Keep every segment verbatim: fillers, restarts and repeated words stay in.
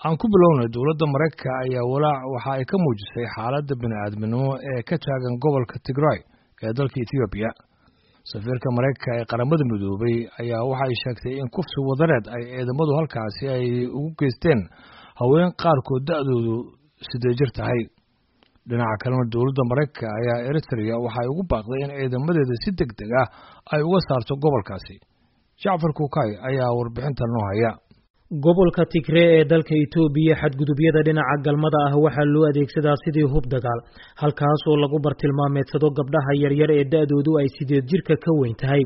Aan ku bilownay, dowladda Maraykanka ayaa walaac waxa ay ka muujisay xaaladda bini'aadminimo ee ka taagan gobolka Tigray ee dalka Ethiopia. Safiirka Maraykanka ee Qaramada Midoobay ayaa waxa ay sheegtay in kufsi wadareed ay ciidamadu halkaasi ay ugu geysteen haween qaarkood da'doodu siddeed jir tahay. Dhinaca kalena, dowladda Maraykanka ayaa Eritrea waxa ay ugu baaqday in ciidamadeeda si deg deg ah ay uga saarto gobolkaasi. Jacfar Kuukay ayaa warbixintan noo haya. Gobolka Tigree ee dalka Itoobiya, xadgudubyada dhinaca galmada ah waxaa loo adeegsadaa sidii hub dagaal, halkaasoo lagu bartilmaameedsado gabdhaha yaryar ee da'doodu ay sideed jirka ka weyn tahay.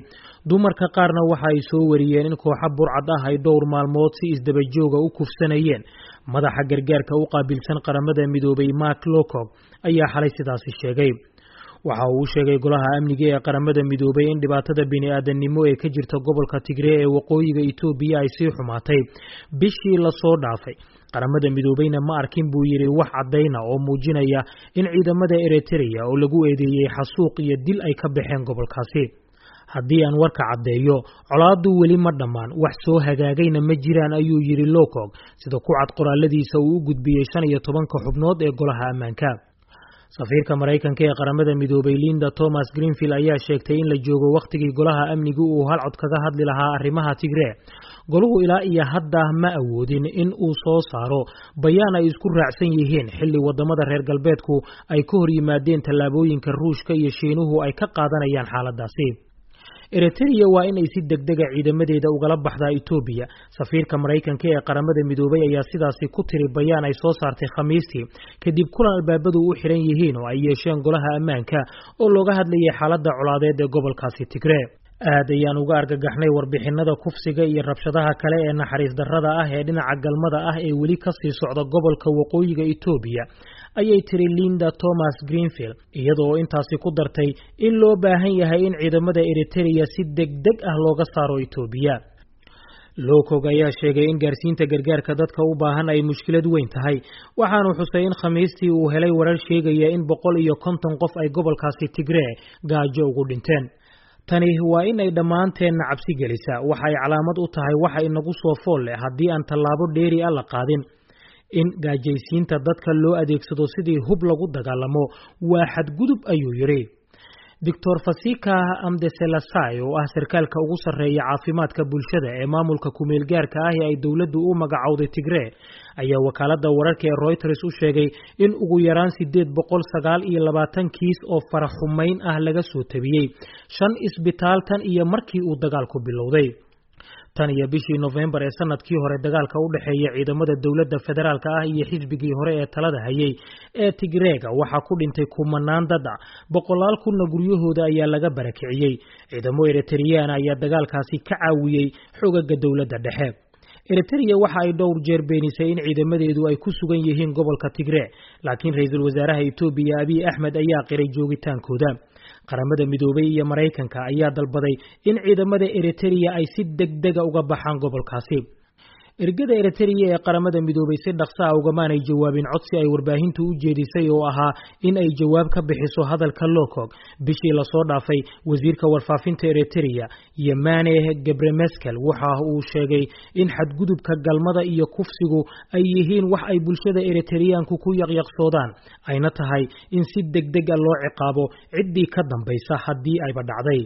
Dumarka qaarna waxa ay soo wariyeen in kooxo burcad ah ay dhowr maalmood si isdaba jooga u kufsanayeen. Madaxa gargaarka u qaabilsan Qaramada Midoobay, Mark Lowcock, ayaa xalay sidaasi sheegay. Waxa uu u sheegay Golaha Amniga ee Qaramada Midoobay in dhibaatada bini'aadanimo ee ka jirta gobolka Tigree ee waqooyiga Itoobiya ay sii xumaatay bishii lasoo dhaafay. Qaramada Midoobeyna ma arkin, buu yidhi, wax caddayna oo muujinaya in ciidamada Eritrea oo lagu eedeeyey xasuuq iyo dil ay ka baxeen gobolkaasi. "Haddii aan warka caddeeyo, colaaddu weli ma dhammaan, wax soo hagaagayna ma jiraan," ayuu yidhi Lowcock, sida ku cad qoraaladiisa uu u gudbiyey shan iyo tobanka xubnood ee Golaha Ammaanka. Safiirka Maraykanka ee Qaramada Midoobay, Linda Thomas Greenfield, ayaa sheegtay in la joogo wakhtigii Golaha Amnigu uu hal cod kaga hadli lahaa arrimaha Tigree. Goluhu ilaa iyo hadda ma awoodin in uu soo saaro bayaan ay isku raacsan yihiin, xilli wadamada reer galbeedku ay ka hor yimaadeen tallaabooyinka Ruushka iyo Shiinuhu ay ka qaadanayaan xaaladaasi. "Eritrea waa in ay si degdega ciidamadeeda ugala baxdaa Itoobiya," safiirka Maraykanka ee Qaramada Midoobay ayaa sidaasi ku tiri bayaan ay soo saartay Khamiistii, kadib kulan albaabadu u xiran yihiin oo ay yeesheen Golaha Ammaanka oo looga hadlayay xaaladda colaadeed ee gobolkaasi Tigree. "Aad ayaan uga argagaxnay warbixinada kufsiga iyo rabshadaha kale ee naxariis darrada ah ee dhinaca galmada ah ee weli ka sii socda gobolka waqooyiga Itoobiya," ayay tiri Linda Thomas Greenfield, iyadoo intaasi ku dartay in loo baahan yahay in ciidamada Eritrea si degdeg ah looga saaro Itoobiya. Lowcock ayaa sheegay in gaarsiinta gargaarka dadka u baahan ay mushkilad weyn tahay, waxaanu xusay in Khamiistii uu helay warar sheegaya in boqol iyo konton qof ay gobolkaasi Tigree gaajo ugu dhinteen. "Tani waa in ay dhammaanteenna cabsi gelisaa. Waxa ay calaamad u tahay waxa inagu soo fool leh haddii aan tallaabo dheeri ah la qaadin. In gaajaysiinta dadka loo adeegsado sidii hub lagu dagaalamo waa xadgudub," ayuu yidhi. Doctor Fasika Amdeselasai, oo ah sarkaalka ugu sarreeya caafimaadka bulshada ee maamulka kumeelgaarka ah ee ay dowladdu u magacowday Tigree, ayaa wakaaladda wararka ee Reuters u sheegay in ugu yaraan sideed boqol sagaal iyo labaatan kiis oo faraxumayn ah laga soo tabiyey shan isbitaal tan iyo markii uu dagaalku bilowday. Tan iyo bishii Nofembar ee sanadkii hore, dagaalka u dhexeeya ciidamada dowladda federaalka ah iyo xisbigii hore ee talada hayay ee Tigreega waxaa ku dhintay kumanaan dad ah, boqolaal kunna guryahooda ayaa laga barakiciyey. Ciidamo Eritreyaan ayaa dagaalkaasi ka caawiyey xogaga dowladda dhexe. Eritrea waxa ay dhowr jeer beenisay in ciidamadeedu ay ku sugan yihiin gobolka Tigree, laakiin ra'iisul wasaaraha Itoobiya, Abiy Axmed, ayaa qiray joogitaankooda. Qaramada Midoobay iyo Maraykanka ayaa dalbaday in ciidamada Eritrea ay si degdega uga baxaan gobolkaasi. Ergada Eritrea ee Qaramada Midoobay si dhaqso ah ugamaanay jawaabin codsi ay warbaahintu u jeedisay oo ahaa in ay jawaab ka bixiso hadalka Lowcock. Bishii lasoo dhaafay, wasiirka warfaafinta Eritrea, Yemane Gebremeskel, waxa uu sheegay in xadgudubka galmada iyo kufsigu ay yihiin wax ay bulshada Eritreyaanku ku yaqyaqsoodaan, ayna tahay in si degdeg ah loo ciqaabo ciddii ka dambaysa haddii ayba dhacday.